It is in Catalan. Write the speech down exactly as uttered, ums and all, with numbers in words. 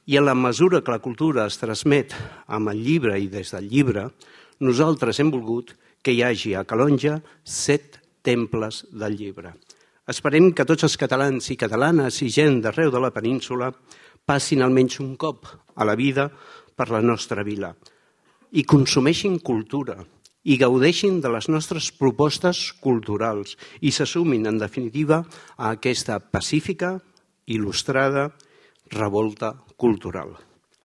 I en la mesura que la cultura es transmet amb el llibre i des del llibre, nosaltres hem volgut que hi hagi a Calonge set temples del llibre. Esperem que tots els catalans i catalanes i gent d'arreu de la península passin almenys un cop a la vida per la nostra vila i consumeixin cultura i gaudeixin de les nostres propostes culturals i se sumin, en definitiva, a aquesta pacífica, il·lustrada revolta cultural.